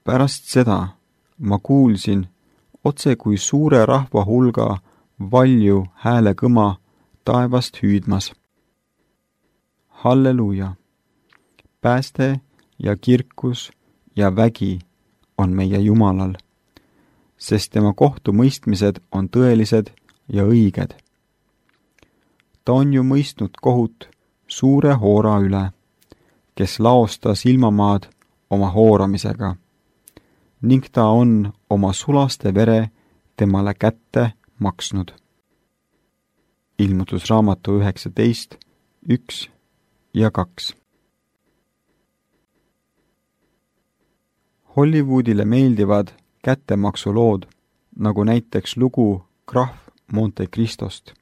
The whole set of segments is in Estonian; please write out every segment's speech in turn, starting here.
Pärast seda ma kuulsin otse kui suure rahva hulga valju häälekõma taevast hüüdmas. Halleluuja! Pääste ja kirkus ja vägi on meie Jumalal, sest tema kohtumõistmised on tõelised ja õiged. Ta on ju mõistnud kohut suure hoora üle, kes laostas ilmamaad oma hooramisega, ning ta on oma sulaste vere temale kätte maksnud. Ilmutusraamatu 19, 1 ja 2. Hollywoodile meeldivad kättemaksulood, nagu näiteks lugu Krahv Monte Cristost.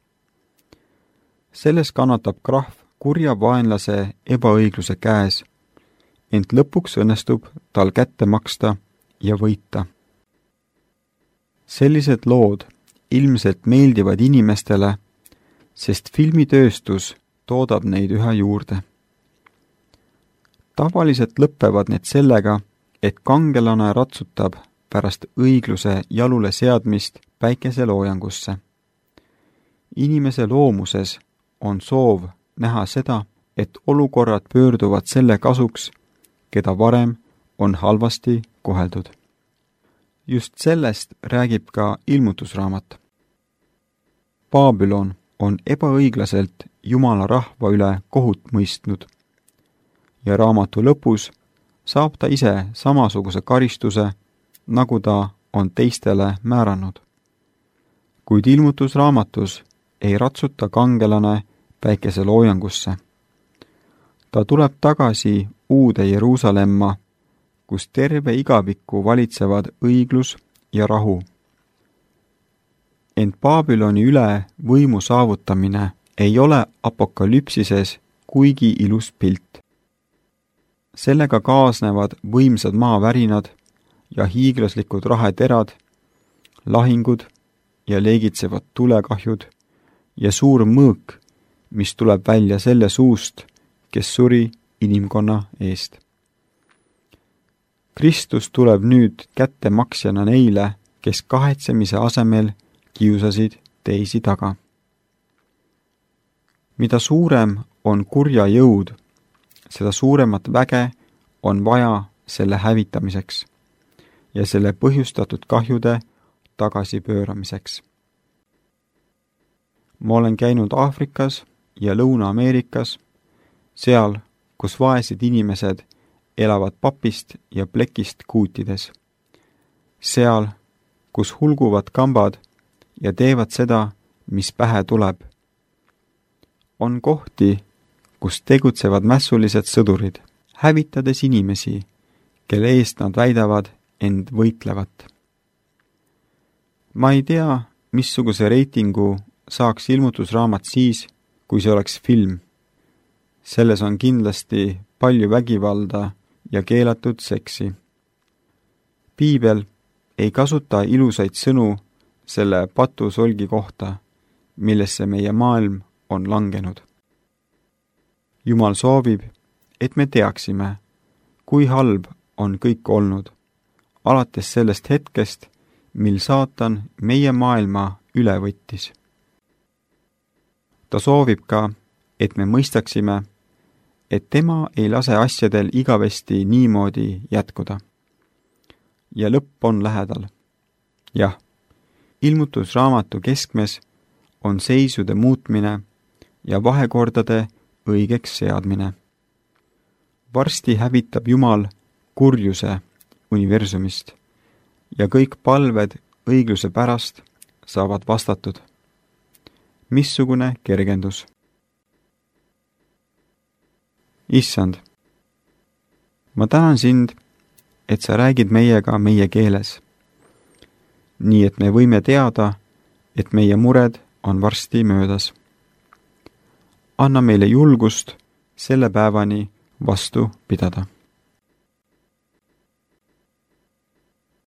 Selles kannatab krahv kurja vaenlase ebaõigluse käes, ent lõpuks õnnestub tal kätte maksta ja võita. Sellised lood ilmselt meeldivad inimestele, sest filmitööstus toodab neid üha juurde. Tavaliselt lõppevad need sellega, et kangelane ratsutab pärast õigluse jalule seadmist päikeseloojangusse. Inimese loomuses on soov näha seda, et olukorrad pöörduvad selle kasuks, keda varem on halvasti koheldud. Just sellest räägib ka ilmutusraamat. Babylon on ebaõiglaselt Jumala rahva üle kohut mõistnud ja raamatu lõpus saab ta ise samasuguse karistuse, nagu ta on teistele määranud. Kuid ilmutusraamatus ei ratsuta kangelane päikeseloojangusse. Ta tuleb tagasi uude Jeruusalemma, kus terve igavikku valitsevad õiglus ja rahu. Ent Babyloni üle võimu saavutamine ei ole apokalüpsises kuigi ilus pilt. Sellega kaasnevad võimsad maavärinad ja hiiglaslikud raheterad, lahingud ja leegitsevad tulekahjud ja suur mõõk, mis tuleb välja selle suust, kes suri inimkonna eest. Kristus tuleb nüüd kättemaksjana neile, kes kahetsemise asemel kiusasid teisi taga. Mida suurem on kurja jõud, seda suuremat väge on vaja selle hävitamiseks ja selle põhjustatud kahjude tagasipööramiseks. Ma olen käinud Aafrikas ja Lõuna-Ameerikas, seal, kus vaesed inimesed elavad papist ja plekist kuutides. Seal, kus hulguvad kambad ja teevad seda, mis pähe tuleb. On kohti, kus tegutsevad mässulised sõdurid, hävitades inimesi, kelle eest nad väidavad end võitlevat. Ma ei tea, missuguse reitingu saaks ilmutusraamat siis, kui see oleks film. Selles on kindlasti palju vägivalda ja keelatud seksi. Piibel ei kasuta ilusaid sõnu selle patusolgi kohta, millesse meie maailm on langenud. Jumal soovib, et me teaksime, kui halb on kõik olnud, alates sellest hetkest, mil saatan meie maailma üle võttis. Ta soovib ka, et me mõistaksime, et tema ei lase asjadel igavesti niimoodi jätkuda. Ja lõpp on lähedal. Jah, ilmutusraamatu keskmes on seisude muutmine ja vahekordade õigeks seadmine. Varsti hävitab Jumal kurjuse universumist ja kõik palved õigluse pärast saavad vastatud. Missugune kergendus! Issand, ma tänan sind, et sa räägid meiega meie keeles, nii et me võime teada, et meie mured on varsti möödas. Anna meile julgust selle päevani vastu pidada.